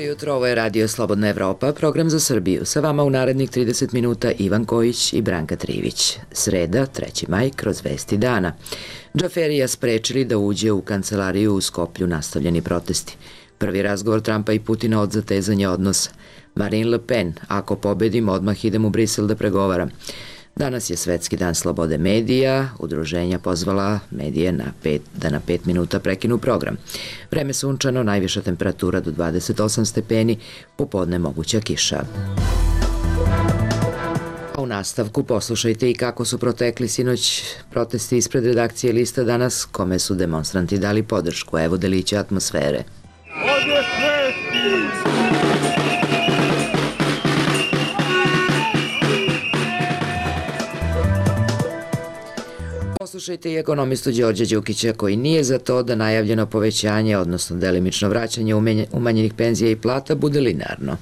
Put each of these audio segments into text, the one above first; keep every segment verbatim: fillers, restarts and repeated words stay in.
jutro, ovo je Radio Slobodna Evropa, program za Srbiju. Sa vama u narednih trideset minuta Ivan Kojić i Branka Trivić. Sreda, treći maj, kroz vesti dana. Džaferija sprečili da uđe u kancelariju u Skoplju, nastavljeni protesti. Prvi razgovor Trumpa i Putina od zatezanja odnosa. Marine Le Pen, ako pobedim, odmah idem u Brisel da pregovaram. Danas je Svetski dan slobode medija. Udruženja pozvala medije na pet, da na pet minuta prekinu program. Vreme sunčano, najviša temperatura do dvadeset osam stepeni, popodne moguća kiša. A u nastavku poslušajte i kako su protekli sinoć protesti ispred redakcije Lista danas, kome su demonstranti dali podršku. Evo delića atmosfere. Ovdje svesti! Poslušajte i ekonomistu Đorđa Đukića koji nije za to da najavljeno povećanje, odnosno delimično vraćanje umanjenih penzija i plata bude linearno.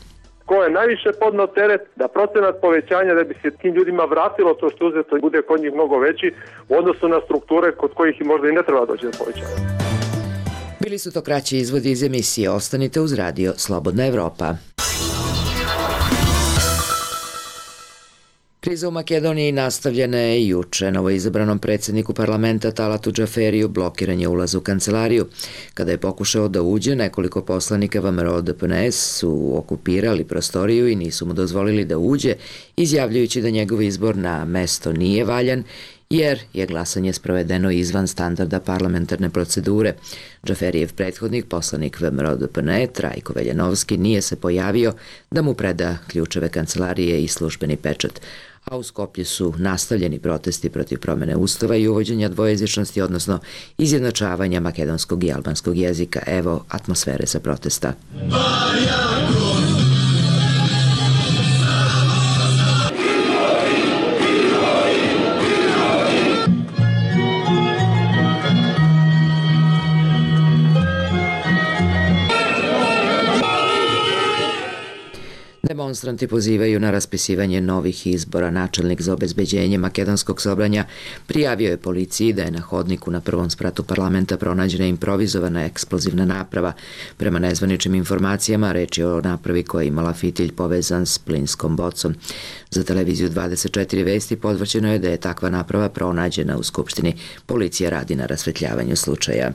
Ko je najviše podneo teret da procenat povećanja da bi se tim ljudima vratilo to što uzeto bude kod njih mnogo veći u odnosu na strukture kod kojih i možda i ne treba doći do povećanja. Bili su to kraći izvodi iz emisije. Ostanite uz Radio Slobodna Evropa. Kriza u Makedoniji nastavljena je juče. Novoizabranom predsjedniku parlamenta Talatu Džaferiju blokiran je ulaz u kancelariju. Kada je pokušao da uđe, nekoliko poslanika V M R O D P N S su okupirali prostoriju i nisu mu dozvolili da uđe, izjavljujući da njegov izbor na mesto nije valjan, jer je glasanje sprovedeno izvan standarda parlamentarne procedure. Džaferijev prethodnik, poslanik V M R O D P N E, Trajko Veljanovski, nije se pojavio da mu preda ključeve kancelarije i službeni pečat. A u Skoplju su nastavljeni protesti protiv promene ustava i uvođenja dvojezičnosti, odnosno izjednačavanja makedonskog i albanskog jezika. Evo atmosfere sa protesta. Demonstranti pozivaju na raspisivanje novih izbora. Načelnik za obezbeđenje makedonskog Sobranja prijavio je policiji da je na hodniku na prvom spratu parlamenta pronađena improvizovana eksplozivna naprava. Prema nezvaničnim informacijama, reč je o napravi koja je imala fitilj povezan s plinskom bocom. Za televiziju dvadeset četiri vesti podvrćeno je da je takva naprava pronađena u Skupštini. Policija radi na rasvetljavanju slučaja.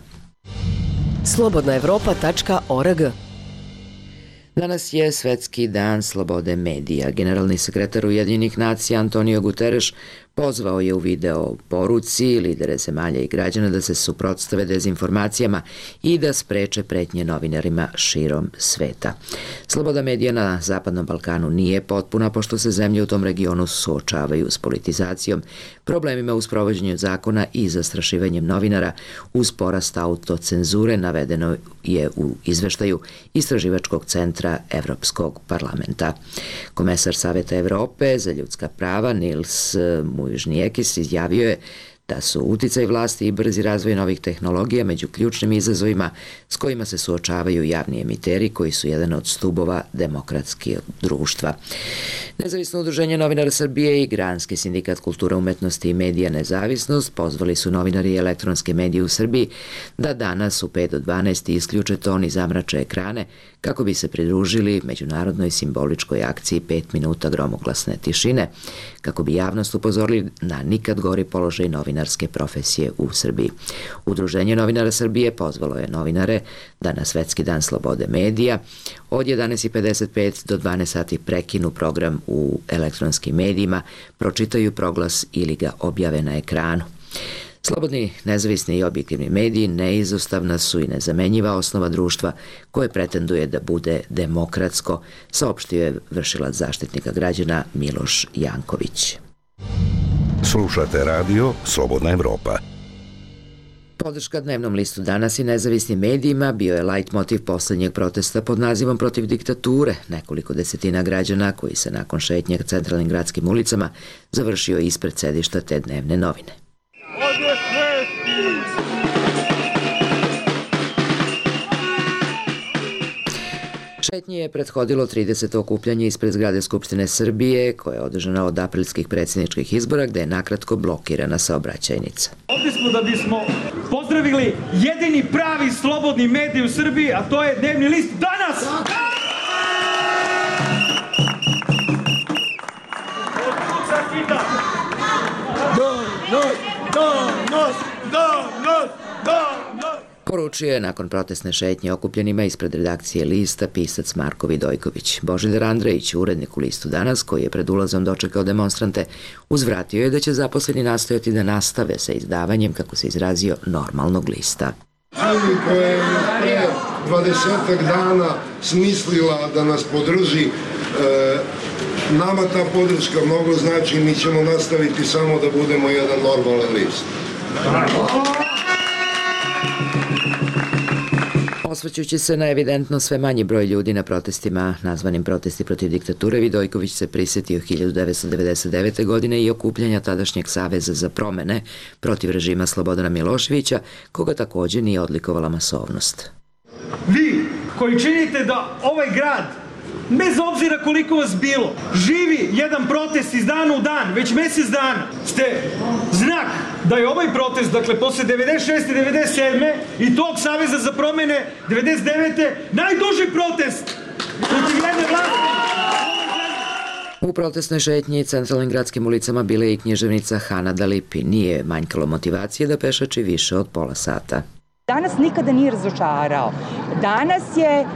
slobodna evropa tačka org. Danas je Svetski dan slobode medija. Generalni sekretar Ujedinjenih nacija Antonio Guterres pozvao je u video poruci lidere zemalja i građana da se suprotstave dezinformacijama i da spreče pretnje novinarima širom sveta. Sloboda medija na Zapadnom Balkanu nije potpuna, pošto se zemlje u tom regionu suočavaju s politizacijom, problemima u sprovođenju zakona i zastrašivanjem novinara uz porast autocenzure, navedeno je u izveštaju Istraživačkog centra Evropskog parlamenta. Komesar Saveta Evrope za ljudska prava Nils Muižniekis izjavio je da su uticaj vlasti i brzi razvoj novih tehnologija među ključnim izazovima s kojima se suočavaju javni emiteri koji su jedan od stubova demokratskih društva. Nezavisno udruženje novinara Srbije i Granski sindikat kultura, umetnosti i medija Nezavisnost pozvali su novinari i elektronske medije u Srbiji da danas u pet do dvanaest isključe ton i zamrače ekrane kako bi se pridružili međunarodnoj simboličkoj akciji pet minuta gromoglasne tišine, kako bi javnost upozorili na nikad gori položaj novinarske profesije u Srbiji. Udruženje novinara Srbije pozvalo je novinare da na Svetski dan slobode medija od jedanaest i pedeset pet do dvanaest sati prekinu program u elektronskim medijima, pročitaju proglas ili ga objave na ekranu. Slobodni, nezavisni i objektivni mediji neizostavna su i nezamenjiva osnova društva koje pretenduje da bude demokratsko, saopštio je vršilac Zaštitnika građana Miloš Janković. Slušate radio Slobodna Evropa. Podrška dnevnom listu Danas i nezavisnim medijima bio je lajt motiv poslednjeg protesta pod nazivom Protiv diktature. Nekoliko desetina građana koji se nakon šetnje centralnim gradskim ulicama završio ispred sedišta te dnevne novine. Ovdje svesti! Šetnji je prethodilo trideseto okupljanje ispred zgrade Skupštine Srbije, koje je održano od aprilskih predsjedničkih izbora, gde je nakratko blokirana saobraćajnica. Ovdje smo da bismo pozdravili jedini pravi slobodni medij u Srbiji, a to je dnevni list Danas! Poručio je nakon protestne šetnje okupljenima ispred redakcije Lista pisac Marko Vidojković. Božidar Andrejić, urednik u Listu Danas, koji je pred ulazom dočekao demonstrante, uzvratio je da će zaposleni nastojati da nastave sa izdavanjem, kako se izrazio, normalnog lista. Zemlji koja je pre dvadesetak dana smislila da nas podrži, e, nama ta podrška mnogo znači i mi ćemo nastaviti samo da budemo jedan normalan list. Osvrćući se na evidentno sve manji broj ljudi na protestima, nazvanim protesti protiv diktature, Vidojković se prisjetio hiljadu devetsto devedeset devete. godine i okupljanja tadašnjeg Saveza za promene protiv režima Slobodana Miloševića, koga takođe nije odlikovala masovnost. Vi koji činite da ovaj grad, bez obzira koliko vas bilo, živi jedan protest iz dana u dan, već mesec dana, ste znak da je ovaj protest, dakle, posle devedeset šeste. devedeset sedme. i tog Saveza za promene devedeset devete. najduži protest protiv jedne vlasti. U protestnoj šetnji centralnim gradskim ulicama bila je i književnica Hana Dalipi. Nije manjkalo motivacije da pešači više od pola sata. Danas nikada nije razočarao. Danas je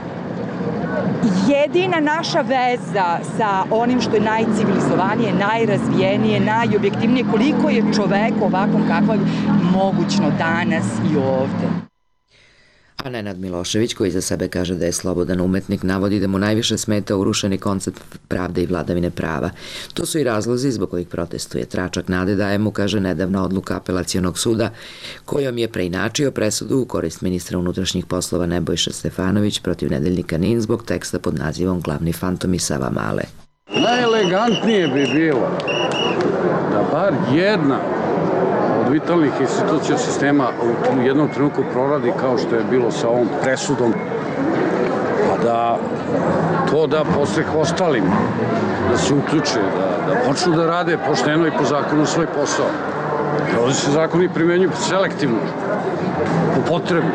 jedina naša veza sa onim što je najcivilizovanije, najrazvijenije, najobjektivnije, koliko je čovek ovakvom kakvom mogućno danas i ovde. A Nenad Milošević, koji za sebe kaže da je slobodan umetnik, navodi da mu najviše smeta urušeni koncept pravde i vladavine prava. To su i razlozi zbog kojih protestuje. Tračak nade daje mu, kaže, nedavna odluka Apelacionog suda, kojom je preinačio presudu u korist ministra unutrašnjih poslova Nebojša Stefanović protiv nedeljnika N I N zbog teksta pod nazivom Glavni fantom iz Savamale. Najelegantnije bi bilo da bar jedna od vitalnih institucija sistema u jednom trenutku proradi kao što je bilo sa ovom presudom, pa da to da postreh ostalim, da se uključe, da, da počnu da rade pošteno i po zakonu svoj posao. Ovdje se zakoni primenjuju selektivno, po potrebu.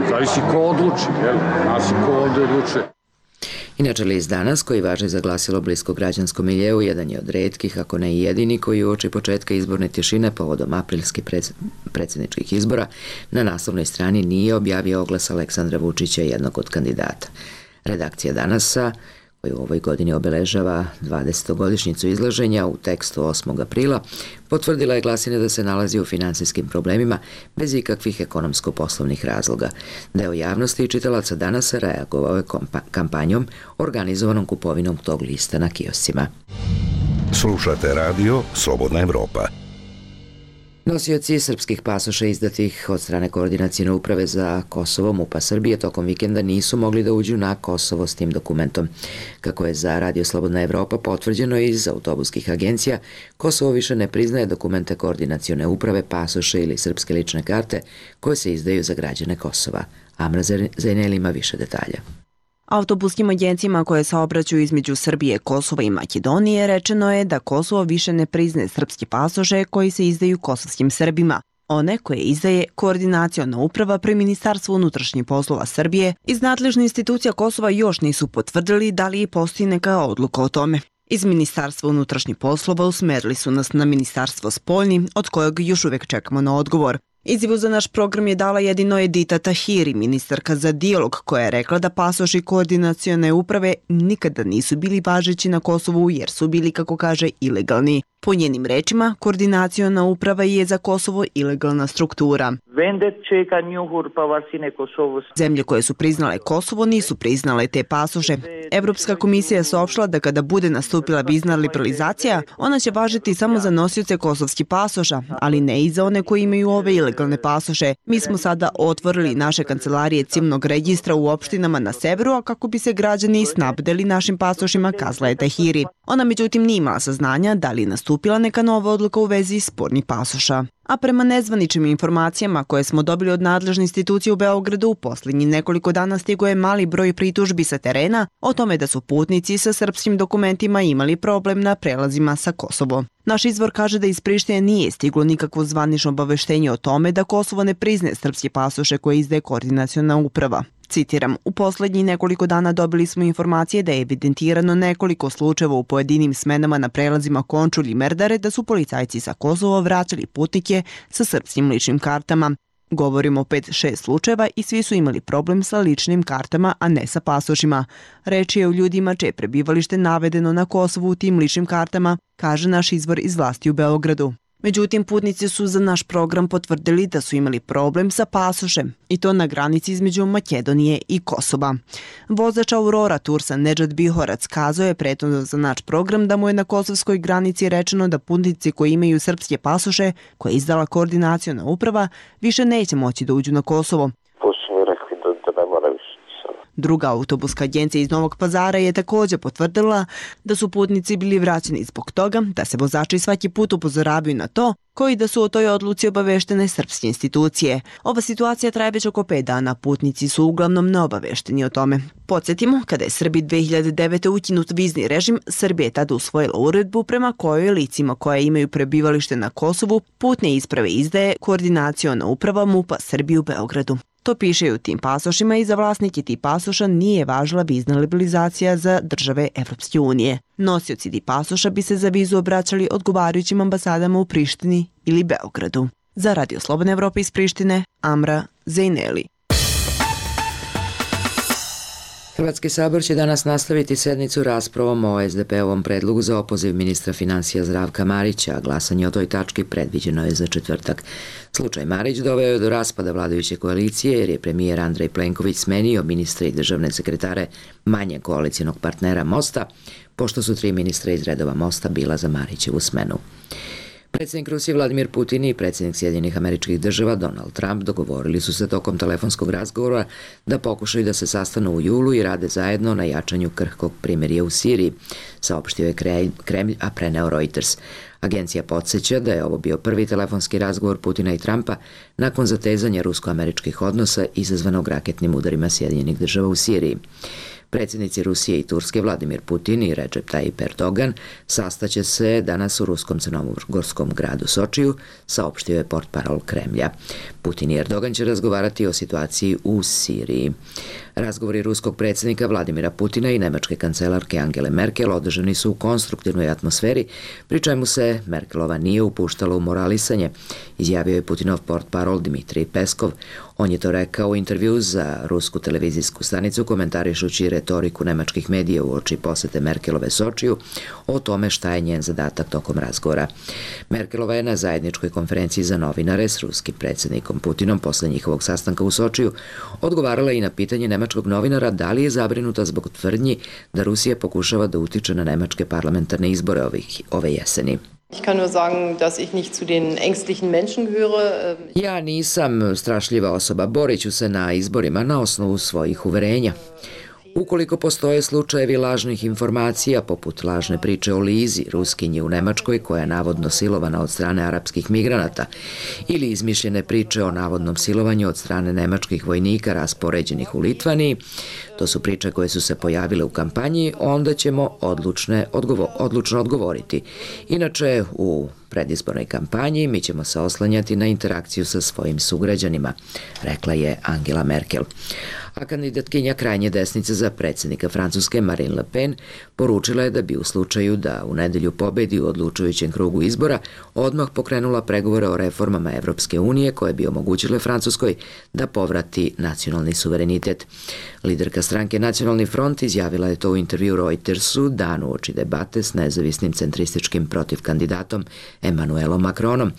Zavisi ko odluči, jel? Nas i ko ovdje odlučuje. Inače, List Danas, koji važi za glasilo blisko građanskom miljeu, jedan je od retkih, ako ne i jedini, koji uoči početka izborne tišine povodom aprilskih predsjedničkih izbora na naslovnoj strani nije objavio oglas Aleksandra Vučića, jednog od kandidata. Redakcija Danasa, koji u ovoj godini obeležava dvadesetogodišnjicu izlaženja, u tekstu osmog aprila potvrdila je glasine da se nalazi u finansijskim problemima bez ikakvih ekonomsko-poslovnih razloga. Deo javnosti i čitalaca Danasa reagovao je kampanjom organizovanom kupovinom tog lista na kioscima. Slušate radio Slobodna Evropa. Nosioci srpskih pasoša izdatih od strane Koordinacione uprave za Kosovo MUP-a Srbije tokom vikenda nisu mogli da uđu na Kosovo s tim dokumentom. Kako je za Radio Slobodna Evropa potvrđeno iz autobuskih agencija, Kosovo više ne priznaje dokumente Koordinacione uprave, pasoše ili srpske lične karte koje se izdaju za građane Kosova. Amra Zajnel ima više detalja. Autobuskim agencijama koje saobraćaju između Srbije, Kosova i Makedonije rečeno je da Kosovo više ne priznaje srpske pasoše koji se izdaju kosovskim Srbima. One koje izdaje Koordinaciona uprava pri Ministarstvu unutrašnjih poslova Srbije iz nadležne institucija Kosova još nisu potvrdili da li postoji neka odluka o tome. Iz Ministarstva unutrašnjih poslova usmerili su nas na Ministarstvo spoljni, od kojeg još uvijek čekamo na odgovor. Izjavu za naš program je dala jedino Edita Tahiri, ministarka za dijalog, koja je rekla da pasoši Koordinacione uprave nikada nisu bili važeći na Kosovu jer su bili, kako kaže, ilegalni. Po njenim rečima, Koordinaciona uprava je za Kosovo ilegalna struktura. Zemlje koje su priznale Kosovo nisu priznale te pasoše. Evropska komisija je saopštila da kada bude nastupila vizna liberalizacija, ona će važiti samo za nosioce kosovskih pasoša, ali ne i za one koji imaju ove ilegalne pasoše. Mi smo sada otvorili naše kancelarije civilnog registra u opštinama na severu, a kako bi se građani snabdeli našim pasošima, kazala je Tahiri. Ona međutim nije imala saznanja da li je nastupila neka nova odluka u vezi spornih pasoša. A prema nezvaničnim informacijama koje smo dobili od nadležne institucije u Beogradu, u posljednjih nekoliko dana stigo je mali broj pritužbi sa terena o tome da su putnici sa srpskim dokumentima imali problem na prelazima sa Kosovo. Naš izvor kaže da iz Prištine nije stiglo nikakvo zvanično obaveštenje o tome da Kosovo ne priznaje srpske pasoše koje izdaje Koordinaciona uprava. Citiram, u posljednjih nekoliko dana dobili smo informacije da je evidentirano nekoliko slučajeva u pojedinim smenama na prelazima Končulj i Merdare da su policajci sa Kosova vraćali putnike sa srpskim ličnim kartama. Govorimo o pet šest slučajeva i svi su imali problem sa ličnim kartama, a ne sa pasošima. Reč je o ljudima čije prebivalište navedeno na Kosovu u tim ličnim kartama, kaže naš izvor iz vlasti u Beogradu. Međutim, putnici su za naš program potvrdili da su imali problem sa pasošem, i to na granici između Makedonije i Kosova. Vozač Aurora Tursa Nedžad Bihorac kazao je prethodno za naš program da mu je na kosovskoj granici rečeno da putnici koji imaju srpske pasoše, koje je izdala koordinaciona uprava, više neće moći da uđu na Kosovo. Druga autobuska agencija iz Novog Pazara je također potvrdila da su putnici bili vraćeni zbog toga da se vozači svaki put upozoravaju na to, koji da su o toj odluci obaveštene srpske institucije. Ova situacija traje već oko pet dana, putnici su uglavnom neobavešteni o tome. Podsjetimo, kada je Srbiji dve hiljade devete. ukinut vizni režim, Srbija je tada usvojila uredbu prema kojoj licima koja imaju prebivalište na Kosovu putne isprave izdaje koordinaciona uprava MUP-a Srbije u Beogradu. To piše i u tim pasošima i za vlasnike tih pasoša nije važila vizna liberalizacija za države Evropske unije. Nosioci tih pasoša bi se za vizu obraćali odgovarajućim ambasadama u Prištini ili Beogradu. Za Radio Slobodne Evrope iz Prištine, Amra Zejneli. Hrvatski sabor će danas nastaviti sednicu raspravom o es de pe-ovom predlogu za opoziv ministra financija Zdravka Marića, a glasanje o toj tački predviđeno je za četvrtak. Slučaj Marić doveo je do raspada vladajuće koalicije jer je premijer Andrej Plenković smenio ministre i državne sekretare manje koalicijnog partnera Mosta, pošto su tri ministra iz redova Mosta bila za Marićevu smenu. Predsjednik Rusije Vladimir Putin i predsjednik Sjedinjenih Američkih Država Donald Trump dogovorili su se tokom telefonskog razgovora da pokušaju da se sastanu u julu i rade zajedno na jačanju krhkog primirja u Siriji, saopštio je Kremlj, a preneo Reuters. Agencija podsjeća da je ovo bio prvi telefonski razgovor Putina i Trumpa nakon zatezanja rusko-američkih odnosa izazvanog raketnim udarima Sjedinjenih Država u Siriji. Predsjednici Rusije i Turske Vladimir Putin i Recep Tayyip Erdogan sastaće se danas u ruskom crnogorskom gradu Sočiju, saopštio je portparol Kremlja. Putin i Erdogan će razgovarati o situaciji u Siriji. Razgovori ruskog predsjednika Vladimira Putina i nemačke kancelarke Angele Merkel održani su u konstruktivnoj atmosferi, pri čemu se Merkelova nije upuštala u moralisanje, izjavio je Putinov portparol Dmitrij Peskov. On je to rekao u intervju za rusku televizijsku stanicu, komentarišući retoriku nemačkih medija uoči posete Merkelove Sočiju o tome šta je njen zadatak tokom razgovora. Merkelova je na zajedničkoj konferenciji za novinare s ruskim predsjednikom Putinom posle njihovog sastanka u Sočiju odgovarala i na pitanje nemačkog novinara da li je zabrinuta zbog tvrdnji da Rusija pokušava da utiče na nemačke parlamentarne izbore ovih, ove jeseni. Ich kann nur sagen, dass ich nicht zu den ängstlichen Menschen gehöre. Ja nisam strašljiva osoba, borit ću se na izborima na osnovu svojih uverenja. Ukoliko postoje slučajevi lažnih informacija, poput lažne priče o Lizi, Ruskinji u Nemačkoj, koja je navodno silovana od strane arapskih migranata, ili izmišljene priče o navodnom silovanju od strane nemačkih vojnika raspoređenih u Litvaniji, to su priče koje su se pojavile u kampanji, onda ćemo odlučne, odgovo, odlučno odgovoriti. Inače, u predizbornoj kampanji mi ćemo se oslanjati na interakciju sa svojim sugrađanima, rekla je Angela Merkel. A kandidatkinja krajnje desnice za predsjednika Francuske Marine Le Pen poručila je da bi u slučaju da u nedelju pobedi u odlučujućem krugu izbora odmah pokrenula pregovore o reformama Evropske unije koje bi omogućile Francuskoj da povrati nacionalni suverenitet. Liderka stranke Nacionalni front izjavila je to u intervju Reutersu dan uoči debate s nezavisnim centrističkim protivkandidatom Emmanuelom Macronom.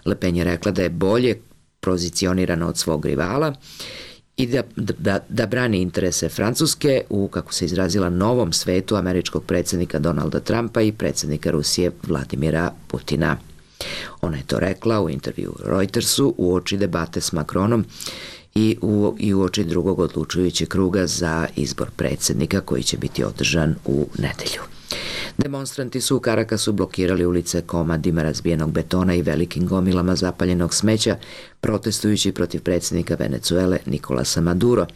Le Pen je rekla da je bolje pozicionirana od svog rivala i da, da, da brani interese Francuske u, kako se izrazila, novom svetu američkog predsjednika Donalda Trumpa i predsjednika Rusije Vladimira Putina. Ona je to rekla u intervju Reutersu uoči debate s Macronom i u, i uoči drugog odlučujućeg kruga za izbor predsjednika koji će biti održan u nedelju. Demonstranti su u Karakasu blokirali ulice komadima razbijenog betona i velikim gomilama zapaljenog smeća, protestujući protiv predsjednika Venezuele Nikolasa Maduro.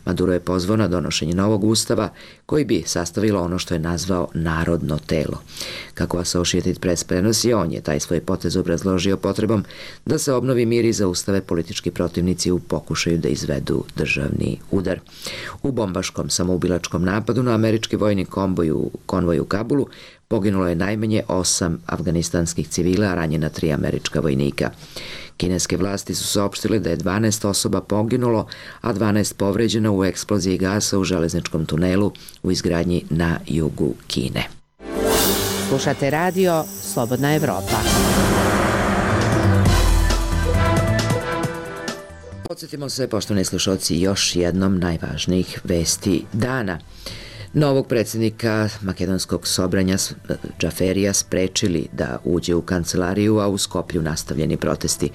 Maduro je pozvao na donošenje novog ustava koji bi sastavilo ono što je nazvao narodno telo. Kako Associated Press prenosi, on je taj svoj potez obrazložio potrebom da se obnovi mir i zaustave politički protivnici u pokušaju da izvedu državni udar. U bombaškom samoubilačkom napadu na američki vojni konvoj u, konvoj u Kabulu Poginulo je najmanje osam afganistanskih civila, a ranjena tri američka vojnika. Kineske vlasti su saopštile da je dvanaest osoba poginulo, a dvanaest povređeno u eksploziji gasa u železničkom tunelu u izgradnji na jugu Kine. Slušate radio Slobodna Evropa. Podsjetimo se, poštovani slušalci, još jednom najvažnijih vesti dana. Novog predsjednika makedonskog Sobranja Džaferija sprečili da uđe u kancelariju, a u Skoplju nastavljeni protesti.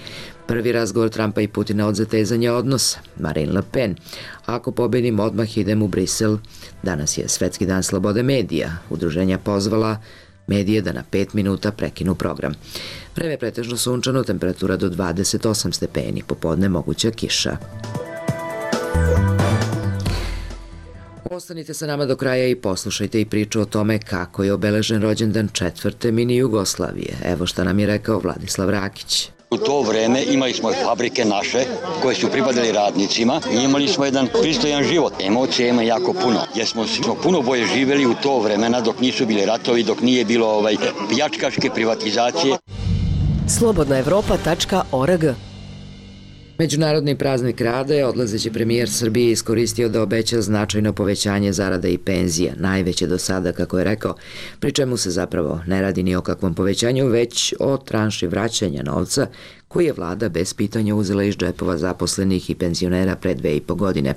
Prvi razgovor Trumpa i Putina od zatezanja odnosa. Marine Le Pen: ako pobedim, odmah idem u Brisel. Danas je Svetski dan slobode medija. Udruženja pozvala medije da na pet minuta prekinu program. Vreme je pretežno sunčano, temperatura do dvadeset osam stepeni, popodne moguća kiša. Ostanite sa nama do kraja i poslušajte i priču o tome kako je obeležen rođendan četvrte mini Jugoslavije. Evo šta nam je rekao Vladislav Rakić. U to vreme imali smo fabrike naše koje su pripadali radnicima i imali smo jedan pristojan život. Emocije ima jako puno, jer smo, smo puno bolje živjeli u to vremena dok nisu bili ratovi, dok nije bilo ovaj, pljačkaške privatizacije. slobodna evropa tačka org. Međunarodni praznik rada je odlazeći premijer Srbije iskoristio da obeća značajno povećanje zarada i penzija, najveće do sada, kako je rekao, pri čemu se zapravo ne radi ni o kakvom povećanju, već o tranši vraćanja novca koji je vlada bez pitanja uzela iz džepova zaposlenih i penzionera pre dve i po godine.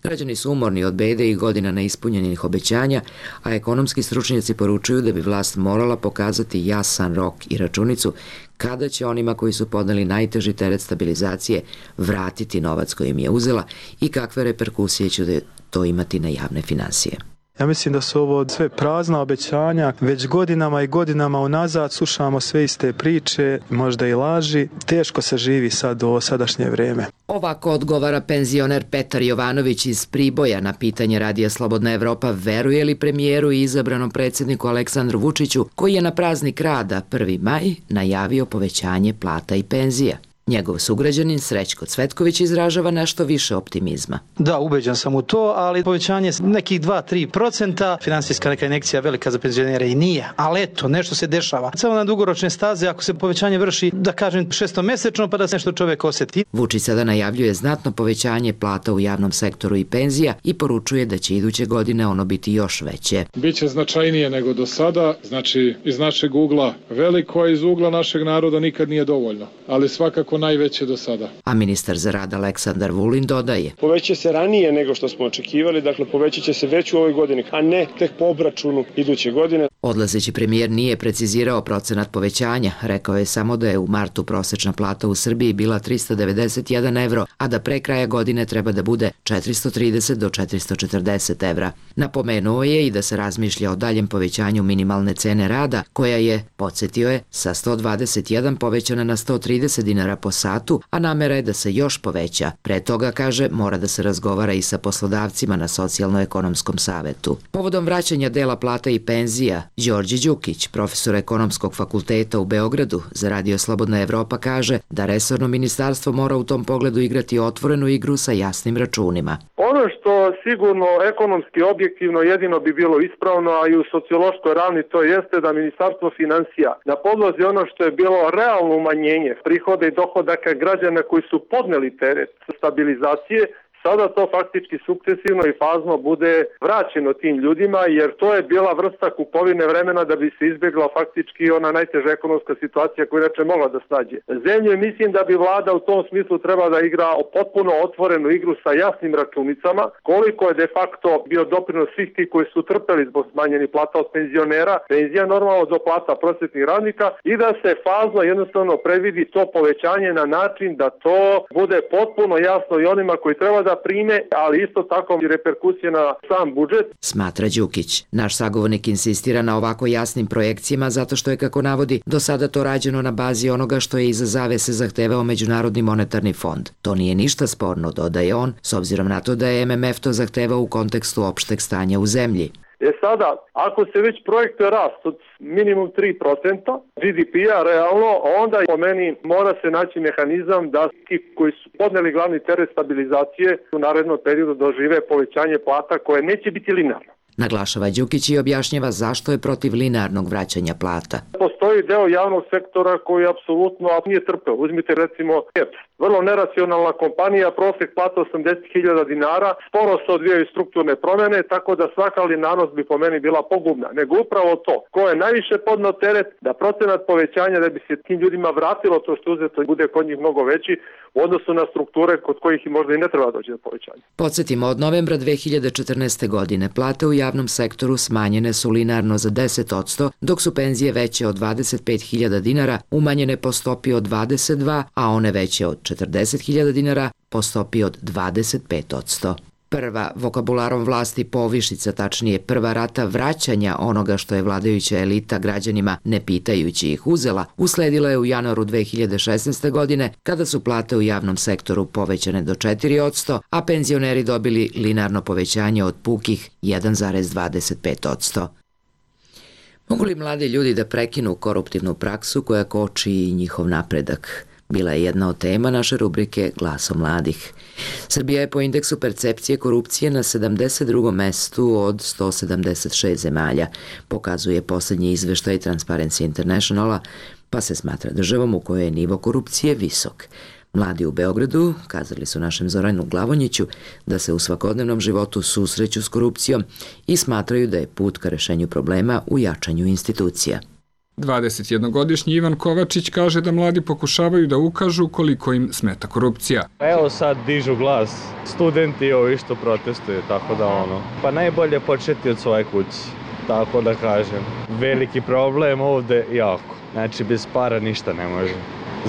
Građani su umorni od bede i godina neispunjenih obećanja, a ekonomski stručnjaci poručuju da bi vlast morala pokazati jasan rok i računicu kada će onima koji su podneli najteži teret stabilizacije vratiti novac koji im je uzela i kakve reperkusije će to imati na javne finansije. Ja mislim da su ovo sve prazna obećanja, već godinama i godinama unazad slušamo sve iste priče, možda i laži, teško se živi sad u sadašnje vreme. Ovako odgovara penzioner Petar Jovanović iz Priboja na pitanje Radija Slobodna Evropa veruje li premijeru i izabranom predsjedniku Aleksandru Vučiću, koji je na praznik rada prvi maj najavio povećanje plata i penzija. Njegov sugrađanin Srećko Cvetković izražava nešto više optimizma. Da, ubeđen sam u to, ali povećanje nekih dva do tri procenta, finansijska neka injekcija velika za penzionere i nije, ali eto, nešto se dešava. Samo na dugoročne staze, ako se povećanje vrši, da kažem, šestomesečno, pa da se nešto čovek osjeti. Vučić sada najavljuje znatno povećanje plata u javnom sektoru i penzija i poručuje da će iduće godine ono biti još veće. Biće značajnije nego do sada, znači iz našeg ugla veliko, a iz ugla našeg naroda nikad nije dovoljno, ali svakako najveće do sada. A ministar za rad Aleksandar Vulin dodaje: poveća se ranije nego što smo očekivali, dakle povećat će se već u ovoj godini, a ne tek po obračunu iduće godine. Odlazeći premijer nije precizirao procenat povećanja, rekao je samo da je u martu prosečna plata u Srbiji bila tristo devedeset jedan evro, a da pre kraja godine treba da bude četiristo trideset do četiristo četrdeset evra. Napomenuo je i da se razmišlja o daljem povećanju minimalne cene rada, koja je, podsjetio je, sa sto dvadeset jedan povećana na sto trideset dinara po satu, a namera je da se još poveća. Pre toga, kaže, mora da se razgovara i sa poslodavcima na socijalno-ekonomskom savetu. Povodom vraćanja dela plata i penzija, Đorđe Đukić, profesor ekonomskog fakulteta u Beogradu za Radio Slobodna Evropa, kaže da resorno ministarstvo mora u tom pogledu igrati otvorenu igru sa jasnim računima. Ono što sigurno ekonomski objektivno jedino bi bilo ispravno, a i u sociološkoj ravni to jeste da Ministarstvo finansija na podlozi ono što je bilo realno umanjenje prihoda i dohodaka građana koji su podneli teret stabilizacije, sada to faktički sukcesivno i fazno bude vraćeno tim ljudima, jer to je bila vrsta kupovine vremena da bi se izbjegla faktički ona najteža ekonomska situacija koja inače mogla da snađe zemlju. Mislim da bi vlada u tom smislu treba da igra potpuno otvorenu igru sa jasnim računicama, koliko je de facto bio doprinos svih ti koji su trpeli zbog smanjenih plata od penzionera, penzija normalno do plata prosvetnih radnika, i da se fazno jednostavno predvidi to povećanje na način da to bude potpuno jasno i onima koji treba da prime, ali isto tako i reperkusije na sam budžet. Smatra Đukić. Naš sagovornik insistira na ovako jasnim projekcijama zato što je, kako navodi, do sada to rađeno na bazi onoga što je iza zavese zahtevao Međunarodni monetarni fond. To nije ništa sporno, dodaje on, s obzirom na to da je M M F to zahtevao u kontekstu opšteg stanja u zemlji. E sada, ako se već projektuje rast od minimum tri procenta G D P-a realno, onda po meni mora se naći mehanizam da ti koji su podneli glavni teret stabilizacije u narednom periodu dožive povećanje plata koje neće biti linearno. Naglašava Đukić i objašnjava zašto je protiv linearnog vraćanja plata. Postoji deo javnog sektora koji apsolutno nije trpeo. Uzmite recimo H E P. Vrlo neracionalna kompanija, prosjek plata osamdeset hiljada dinara, sporo se odvijaju strukturne promene, tako da svaka linearnost bi po meni bila pogubna. Nego upravo to, ko je najviše podneo teret, da procenat povećanja da bi se tim ljudima vratilo to što uzeto bude kod njih mnogo veći u odnosu na strukture kod kojih i možda i ne treba doći do povećanja. Podsjetimo, od novembra dve hiljade četrnaeste. godine plate u javnom sektoru smanjene su linearno za deset posto, dok su penzije veće od dvadeset pet hiljada dinara umanjene po stopi od dvadeset dva, a one veće od četrdeset hiljada dinara po stopi od dvadeset pet posto. Prva, vokabularom vlasti povišica, tačnije prva rata vraćanja onoga što je vladajuća elita građanima ne pitajući ih uzela, usledila je u januaru dve hiljade šesnaeste. godine kada su plate u javnom sektoru povećane do četiri posto, a penzioneri dobili linearno povećanje od pukih jedan zarez dvadeset pet posto. Mogu li mladi ljudi da prekinu koruptivnu praksu koja koči i njihov napredak? Bila je jedna od tema naše rubrike Glasom mladih. Srbija je po indeksu percepcije korupcije na sedamdeset drugom mestu od sto sedamdeset šest zemalja, pokazuje posljednji izveštaj Transparency Internationala, pa se smatra državom u kojoj je nivo korupcije visok. Mladi u Beogradu kazali su našem Zoranu Glavonjiću da se u svakodnevnom životu susreću s korupcijom i smatraju da je put ka rešenju problema u jačanju institucija. dvadesetjednogodišnji Ivan Kovačić kaže da mladi pokušavaju da ukažu koliko im smeta korupcija. Evo sad dižu glas, studenti ovi što protestuju, tako da ono, pa najbolje početi od svoje kuće, tako da kažem. Veliki problem ovde jako, znači bez para ništa ne može.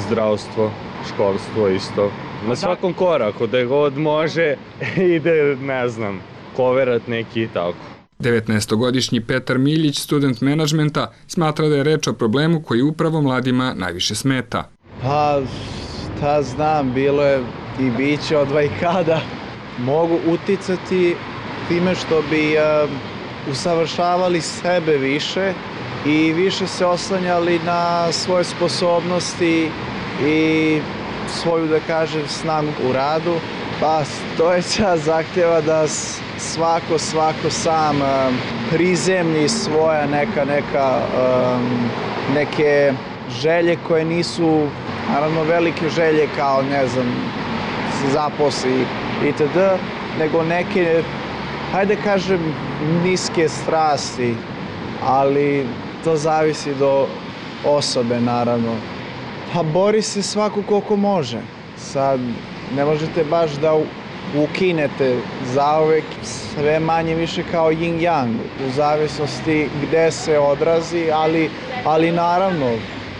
Zdravstvo, školstvo isto. Na svakom koraku, da god može, ide, ne znam, koverat neki i tako. devetnaestogodišnji Petar Miljić, student menadžmenta, smatra da je reč o problemu koji upravo mladima najviše smeta. Pa, šta znam, bilo je i biće od vajkada. Mogu uticati time što bi uh, usavršavali sebe više i više se oslanjali na svoje sposobnosti i svoju, da kažem, snagu u radu. Pa stojeća zahtjeva da svako, svako sam um, prizemlji svoja neka, neka, um, neke želje koje nisu, naravno, velike želje kao, ne znam, se zaposli itd., nego neke, hajde kažem, niske strasti, ali to zavisi do osobe, naravno. Pa bori se svako koliko može. Sad, ne možete baš da ukinete zauvek, sve manje više kao yin-yang, u zavisnosti gde se odrazi, ali, ali naravno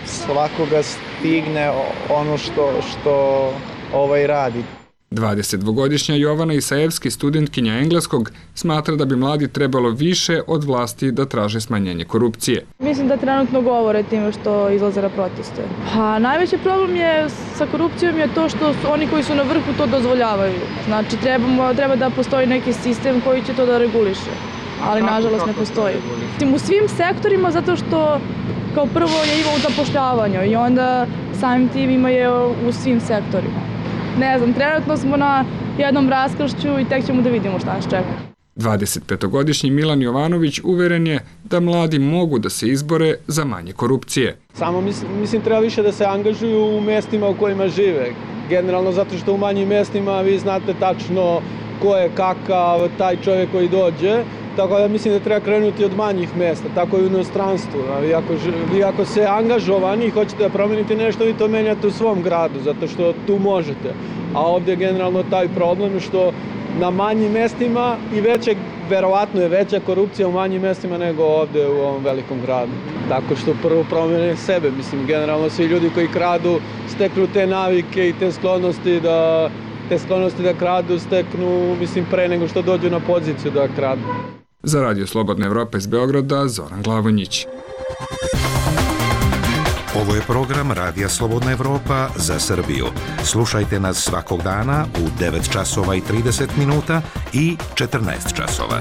svakoga stigne ono što, što ovaj radi. dvadesetdvogodišnja Jovana Isajevski, studentkinja engleskog, smatra da bi mladi trebalo više od vlasti da traže smanjenje korupcije. Mislim da trenutno govore time što izlaze na proteste. Pa najveći problem je sa korupcijom je to što su oni koji su na vrhu to dozvoljavaju. Znači trebamo, treba da postoji neki sistem koji će to da reguliše, ali kako, nažalost kako ne postoji. U svim sektorima zato što kao prvo je ima u zapošljavanju i onda samim tim ima je u svim sektorima. Ne znam, trenutno smo na jednom raskršću i tek ćemo da vidimo šta nas čeka. dvadesetpetogodišnji Milan Jovanović uveren je da mladi mogu da se izbore za manje korupcije. Samo mislim, mislim treba više da se angažuju u mestima u kojima žive. Generalno zato što u manjim mestima vi znate tačno ko je kakav taj čovjek koji dođe. Tako da mislim da treba krenuti od manjih mesta, tako i u inostranstvu. Vi ako, vi ako se angažovani i hoćete da promenite nešto, vi to menjate u svom gradu, zato što tu možete. A ovdje je generalno taj problem što na manjim mestima i veće, verovatno je veća korupcija u manjim mestima nego ovdje u ovom velikom gradu. Tako što prvo promene sebe, mislim, generalno svi ljudi koji kradu steknu te navike i te sklonosti da, te sklonosti da kradu steknu, mislim, pre nego što dođu na poziciju da kradu. Za Radio Slobodna Evropa iz Beograda, Zoran Glavonjić. Ovo je program Radija Slobodna Evropa za Srbiju. Slušajte nas svakog dana u devet časova i trideset minuta i četrnaest časova.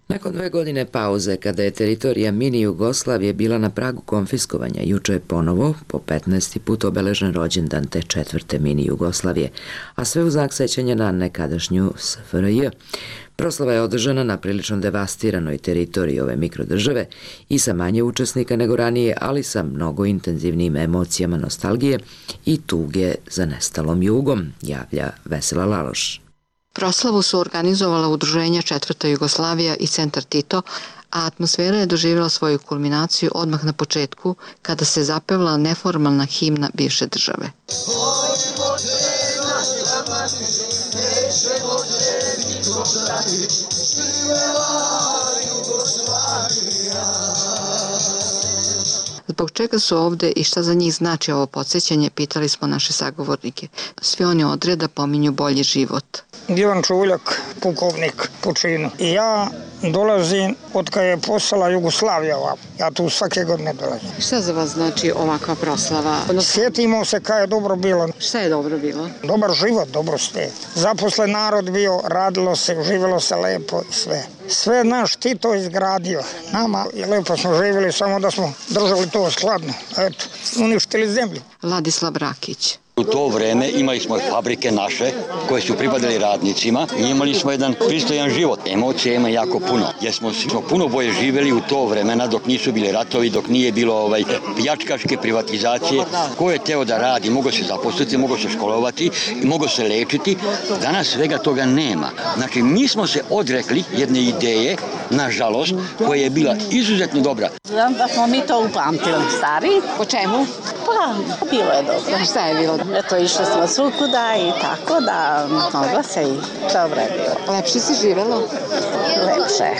Nakon dve Ove godine pauze, kada je teritorija mini Jugoslavije bila na pragu konfiskovanja, juče je ponovo, po petnaesti put obeležen rođendan te četvrte mini Jugoslavije, a sve u znak sećanja na nekadašnju S F R J. Proslava je održana na prilično devastiranoj teritoriji ove mikrodržave i sa manje učesnika nego ranije, ali sa mnogo intenzivnijim emocijama nostalgije i tuge za nestalom jugom, javlja Vesela Laloš. Proslavu su organizovala udruženja Četvrta Jugoslavija i Centar Tito, a atmosfera je doživjela svoju kulminaciju odmah na početku, kada se zapevla neformalna himna bivše države. Zbog čega su ovde i šta za njih znači ovo podsjećanje, pitali smo naše sagovornike. Svi oni odreda pominju bolji život. Ivan Čuljak, pukovnik po činu. I ja dolazim od kada je postala Jugoslavija ovako. Ja tu svake godine dolazim. Šta za vas znači ovakva proslava? Sjetimo se kada je dobro bilo. Šta je dobro bilo? Dobar život, dobro sve. Zaposlen narod bio, radilo se, živjelo se lepo i sve. Sve naš Tito izgradio. Nama je lepo smo živjeli, samo da smo držali to skladno. Eto, uništili zemlju. Vladislav Rakić. U to vreme imali smo fabrike naše koje su pripadali radnicima i imali smo jedan pristojan život. Emocija ima jako puno, jer smo, smo puno bolje živjeli u to vremena dok nisu bili ratovi, dok nije bilo ovaj, pljačkaške privatizacije. Ko je teo da radi, mogo se zaposliti, mogo se školovati, mogo se lečiti. Danas svega toga nema. Znači, mi smo se odrekli jedne ideje, nažalost, koja je bila izuzetno dobra. Znam da smo mi to upamtili, stari. Po čemu? Pa, bilo je dobro. Šta je bilo? Eto, išli smo svukuda i tako da mogla se i dobro je bilo. Lepše se živelo? Lepše.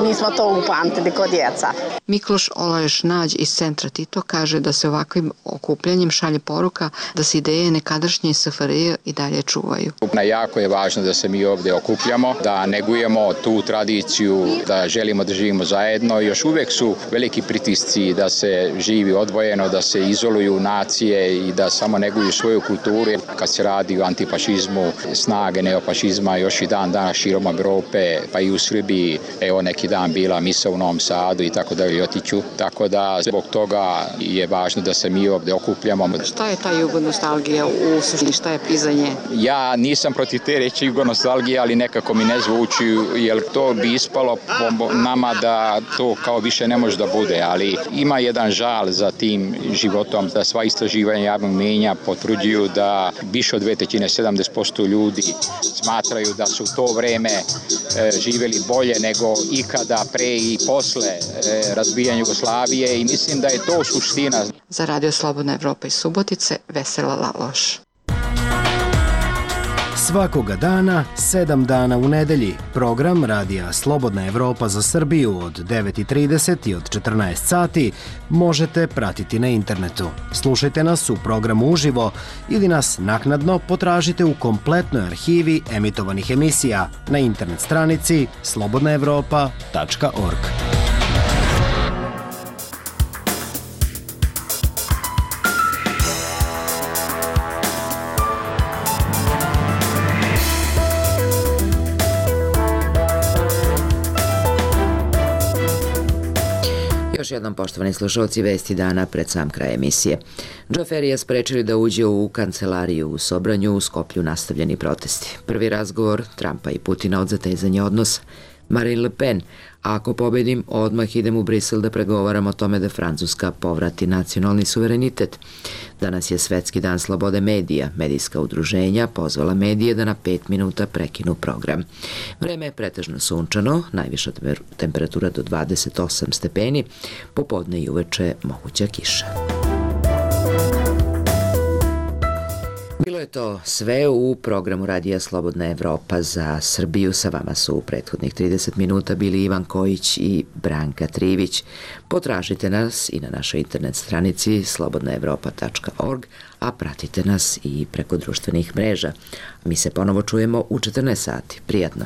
Mi smo to upamtili kod djeca. Mikloš Olaješ Nađ iz Centra Tito kaže da se ovakvim okupljanjem šalje poruka da se ideje nekadašnje S F R J i dalje čuvaju. Jako je važno da se mi ovdje okupljamo, da negujemo tu tradiciju, da želimo da živimo zajedno. Još uvijek su veliki pritisci da se živi odvojeno, da se izoluju nacije i da samo neguju svoju kulturu. Kad se radi o antifašizmu, snage neofašizma još i dan danas širom Evrope, pa i u Srbiji, evo neki dan bila misa u Novom Sadu i tako da i otiću. Tako da zbog toga je važno da se mi ovdje okupljamo. Šta je ta jugonostalgija u suštini, šta je pizanje? Ja nisam protiv te reći jugonostalgije, ali nekako mi ne zvuči, jer to bi ispalo po nama da to kao više ne može da bude, ali ima jedan žal za tim životom, da sva istraživanja javnog mnijenja potvrđuju da više od dve trećine, sedamdeset posto ljudi smatraju da su to vreme e, živjeli bolje nego ikada pre i posle e, razbijanja Jugoslavije i mislim da je to suština. Za Radio Slobodna Evropa iz Subotice, Vesela Laloš. Svakoga dana, sedam dana u nedelji, program Radija Slobodna Evropa za Srbiju od devet i trideset i od četrnaest sati možete pratiti na internetu. Slušajte nas u programu uživo ili nas naknadno potražite u kompletnoj arhivi emitovanih emisija na internet stranici slobodna evropa tačka org. Još jednom, poštovani slušalci, vesti dana pred sam kraj emisije. Džoferija sprečili da uđe u kancelariju u Sobranju, u Skoplju nastavljeni protesti. Prvi razgovor Trumpa i Putina od zatezanja odnosa. Marine Le Pen, ako pobedim, odmah idem u Brisel da pregovaram o tome da Francuska povrati nacionalni suverenitet. Danas je Svetski dan slobode medija. Medijska udruženja pozvala medije da na pet minuta prekinu program. Vreme je pretežno sunčano, najviša temperatura do dvadeset osam stepeni, popodne i uveče moguća kiša. Bilo je to sve u programu Radija Slobodna Evropa za Srbiju. Sa vama su u prethodnih trideset minuta bili Ivan Kojić i Branka Trivić. Potražite nas i na našoj internet stranici slobodna evropa tačka org, a pratite nas i preko društvenih mreža. Mi se ponovo čujemo u četrnaest sati. Prijatno!